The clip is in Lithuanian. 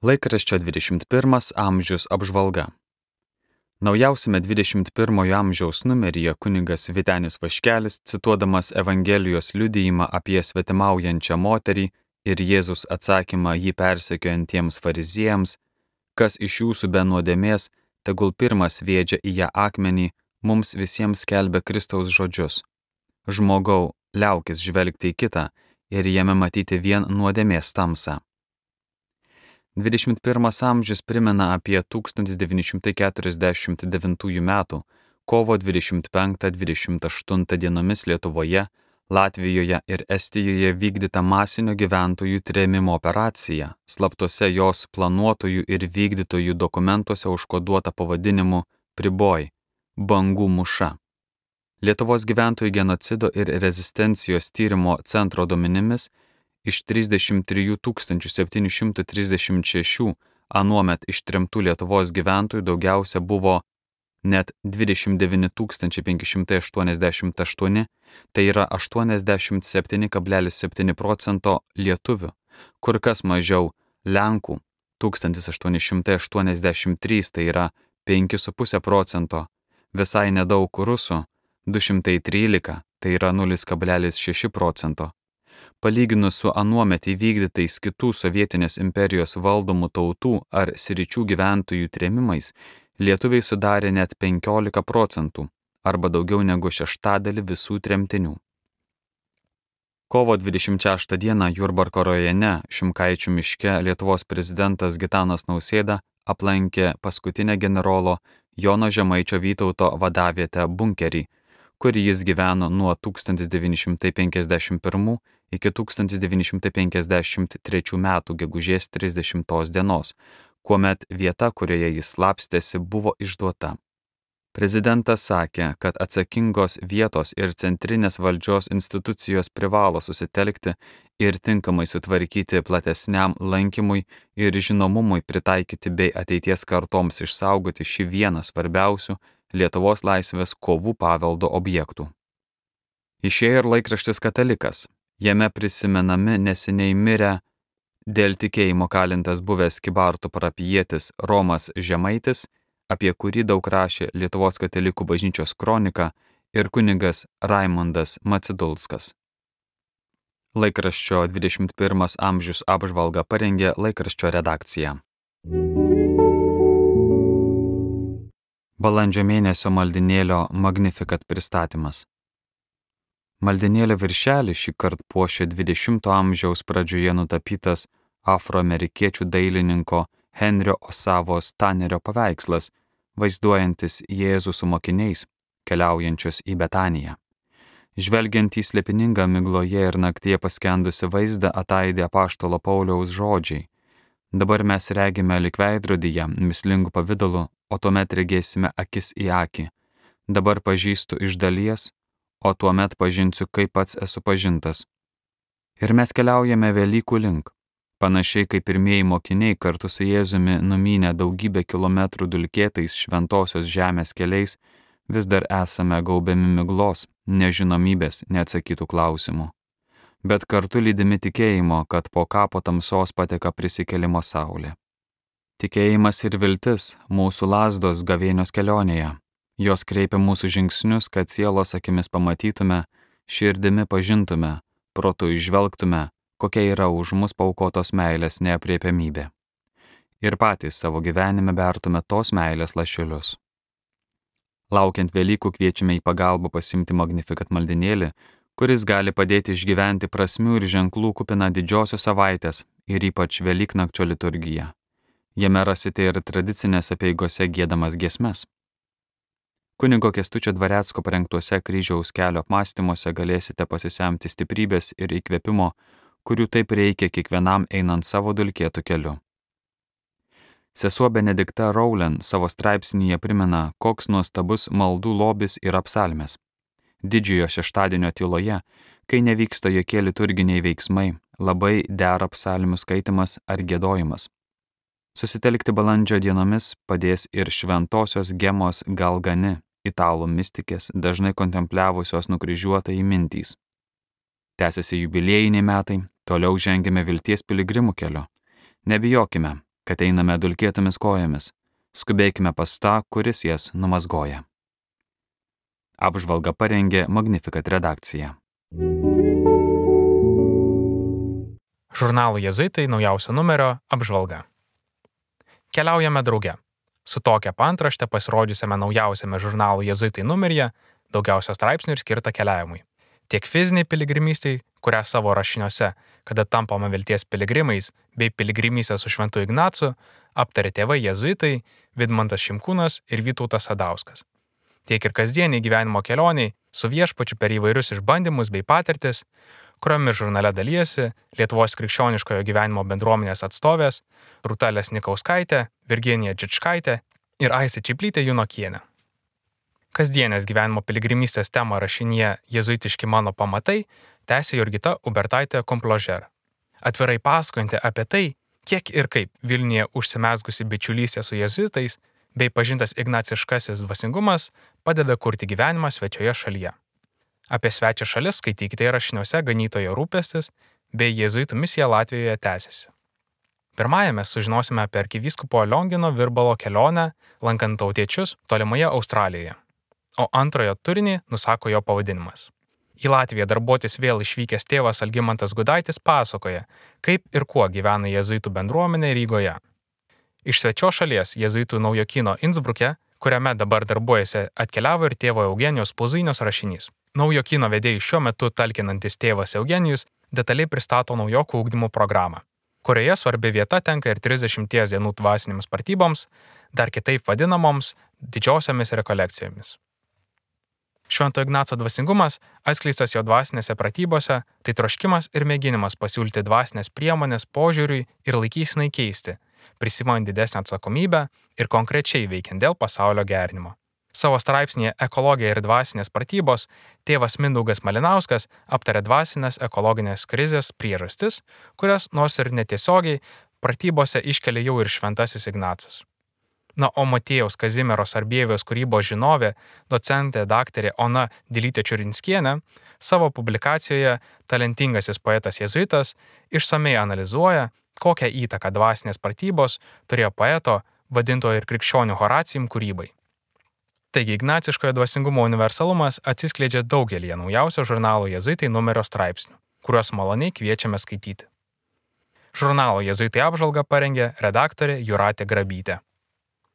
Laikraščio 21 amžius apžvalga. Naujausiame 21 amžiaus numeryje kunigas Vytenis Vaškelis, cituodamas Evangelijos liudijimą apie svetimaujančią moterį ir Jėzus atsakymą jį persekiojantiems fariziejams, kas iš jūsų be nuodėmės, tegul pirmas sviedžia į ją akmenį, mums visiems skelbia Kristaus žodžius. Žmogau, liaukis žvelgti į kitą ir jame matyti vien nuodėmės tamsą. 21 amžius primena apie 1949 metų kovo 25-28 dienomis Lietuvoje, Latvijoje ir Estijoje vykdytą masinio gyventojų trėmimo operaciją, slaptose jos planuotojų ir vykdytojų dokumentuose užkoduota pavadinimu Priboj – Bangų mūša. Lietuvos gyventojų genocido ir rezistencijos tyrimo centro duomenimis iš 33 736 anuomet ištremtų Lietuvos gyventojų daugiausia buvo net 29 588, tai yra 87,7% lietuvių, kur kas mažiau Lenkų 1883, tai yra 5,5%, visai nedaug rusų 213, tai yra 0,6%. Palyginus su anuomet įvykdytais kitų sovietinės imperijos valdomų tautų ar sričių gyventojų trėmimais, lietuviai sudarė net 15%, arba daugiau negu šeštadalį visų tremtinių. Kovo 26 dieną Jurbarko rajone Šimkaičių miške Lietuvos prezidentas Gitanas Nausėda aplankė paskutinę generolo Jono Žemaičio Vytauto vadavietę Bunkerį, kur jis gyveno nuo 1951 iki 1953 metų gegužės 30 dienos, kuomet vieta, kurioje jis slapstėsi, buvo išduota. Prezidentas sakė, kad atsakingos vietos ir centrinės valdžios institucijos privalo susitelkti ir tinkamai sutvarkyti platesniam lankymui ir žinomumui pritaikyti bei ateities kartoms išsaugoti šį vieną svarbiausių Lietuvos laisvės kovų paveldo objektų. Išėjo ir laikraštis Katalikas. Jame prisimenami neseniai mirę dėl tikėjimo kalintas buvęs Kybartų parapijietis Romas Žemaitis, apie kurį daug rašė Lietuvos katalikų bažnyčios kronika ir kunigas Raimundas Macidulskas. Laikraščio 21 amžius apžvalgą parengė laikraščio redakcija. Balandžio mėnesio maldinėlio Magnificat pristatymas. Maldinėlio viršelį šį kartą puošė 20 amžiaus pradžioje nutapytas afroamerikiečių dailininko Henrio Osavos Tanerio paveikslas, vaizduojantis Jėzų su mokiniais, keliaujančius į Betaniją. Žvelgiant į slėpiningą migloje ir naktyje paskendusi vaizdą ataidė apaštalo Pauliaus žodžiai. Dabar mes regime lyg veidrodyje, mislingų pavidalu, o tuomet regėsime akis į akį. Dabar pažįstu iš dalies, o tuomet pažinsiu, kaip pats esu pažintas. Ir mes keliaujame Velykų link. Panašiai kaip pirmieji mokiniai kartu su Jėzumi numynę daugybę kilometrų dulkėtais šventosios žemės keliais, vis dar esame gaubiami miglos, nežinomybės, neatsakytų klausimų. Bet kartu lydimi tikėjimo, kad po kapo tamsos pateka prisikėlimo saulė. Tikėjimas ir viltis mūsų lazdos gavėnios kelionėje. Jos kreipia mūsų žingsnius, kad sielos akimis pamatytume, širdimi pažintume, protu įžvelgtume, kokia yra už mus paaukotos meilės neaprėpiamybė. Ir patys savo gyvenime bertume tos meilės lašelius. Laukiant Velykų kviečiame į pagalbą pasiimti Magnificat maldinėlį, kuris gali padėti išgyventi prasmių ir ženklų kupiną didžiosios savaitės ir ypač Velyknakčio liturgiją. Jame rasite ir tradicinės apeigose giedamas giesmes. Kunigo Kęstučio Dvarecko parengtuose kryžiaus kelio apmąstymuose galėsite pasisemti stiprybės ir įkvėpimo, kurių taip reikia kiekvienam einant savo dulkėtų keliu. Sesuo Benedikta Rowland savo straipsnyje primena, koks nuostabus maldų lobis yra psalmės. Didžiojo šeštadienio tyloje, kai nevyksta jokie liturginiai veiksmai, labai dera psalmių skaitimas ar giedojimas. Susitelkti balandžio dienomis padės ir šventosios Gemos Galgani, italų mistikės, dažnai kontempliavusios nukryžiuotąjį mintys. Tęsiasi jubiliejiniai metai, toliau žengiame vilties piligrimų keliu. Nebijokime, kad einame dulkėtomis kojomis, skubėkime pas tą, kuris jas numazgoja. Apžvalgą parengė Magnificat redakcija. Žurnalo Jėzuitai naujausio numerio apžvalga. Keliaujame drauge. Su tokia paantrašte pasirodžiusiame naujausiame žurnalo Jėzuitai numeryje daugiausia straipsnių ir skirta keliavimui. Tiek fiziniai piligrimystei, kurią savo rašiniuose, kada tampama vilties piligrimais, bei piligrimystė su Šventu Ignacu, aptarė tėvai Jėzuitai Vidmantas Šimkūnas ir Vytautas Sadauskas. Tiek ir kasdieniai gyvenimo kelioniai su viešpačiu per įvairius išbandymus bei patirtis, kuriomis žurnale dalyjasi Lietuvos krikščioniškojo gyvenimo bendruomenės atstovės Rūta Lesnikauskaitė, Virginija Džičkaitė ir Aistė Čiplytė Junokienė. Kasdienės gyvenimo piligrimystės temą rašinyje Jėzuitiški mano pamatai tęsė Jurgita Ubertaitė Kompložer, atvirai pasakojanti apie tai, kiek ir kaip Vilniuje užsimezgusi bičiulystė su jėzuitais bei pažintas ignaciškasis dvasingumas padeda kurti gyvenimą svečioje šalyje. Apie svečią šalis skaitykite rašiniuose Ganytojo rūpestis bei Jėzuitų misija Latvijoje tęsiasi. Pirmajame sužinosime apie arkivyskupo Liongino Virbalo kelionę lankant tautiečius tolimoje Australijoje, o antrojo turinį nusako jo pavadinimas. Į Latviją darbuotis vėl išvykęs tėvas Algimantas Gudaitis pasakoja, kaip ir kuo gyvena jėzuitų bendruomenė Rygoje. Iš svečio šalies jėzuitų naujokyno Innsbruke, kuriame dabar darbuojasi, atkeliavo ir tėvo Eugenijos Puzainios rašinys. Naujokyno vedėjui šiuo metu talkinantis tėvas Eugenijus detaliai pristato naujokų ugdymo programą, kurioje svarbi vieta tenka ir 30 dienų dvasinėms pratyboms, dar kitaip vadinamoms didžiosiomis rekolekcijomis. Švento Ignaco dvasingumas, atskleistas jo dvasinėse pratybose, tai troškimas ir mėginimas pasiūlyti dvasinės priemonės požiūriui ir laikysinai keisti, prisimant didesnę atsakomybę ir konkrečiai veikiant dėl pasaulio gerinimo. Savo straipsnėje Ekologija ir dvasinės pratybos tėvas Mindaugas Malinauskas aptarė dvasinės ekologinės krizės priežastis, kurias nors ir netiesiogiai pratybose iškelia jau ir Šventasis Ignacas. Na, o Matiejaus Kazimieros Arbieviaus kūrybos žinovė, docentė daktarė Ona Dilytė Čiurinskienė savo publikacijoje Talentingasis poetas jėzuitas išsamiai analizuoja, kokią įtaką dvasinės pratybos turėjo poeto, vadintojo ir krikščionių Horacijum kūrybai. Taigi ignaciškojo dvasingumo universalumas atsiskleidžia daugelį naujausio žurnalo Jėzuitai numerio straipsnių, kuriuos maloniai kviečiame skaityti. Žurnalo Jėzuitai apžvalgą parengė redaktorė Jūratė Grabytė.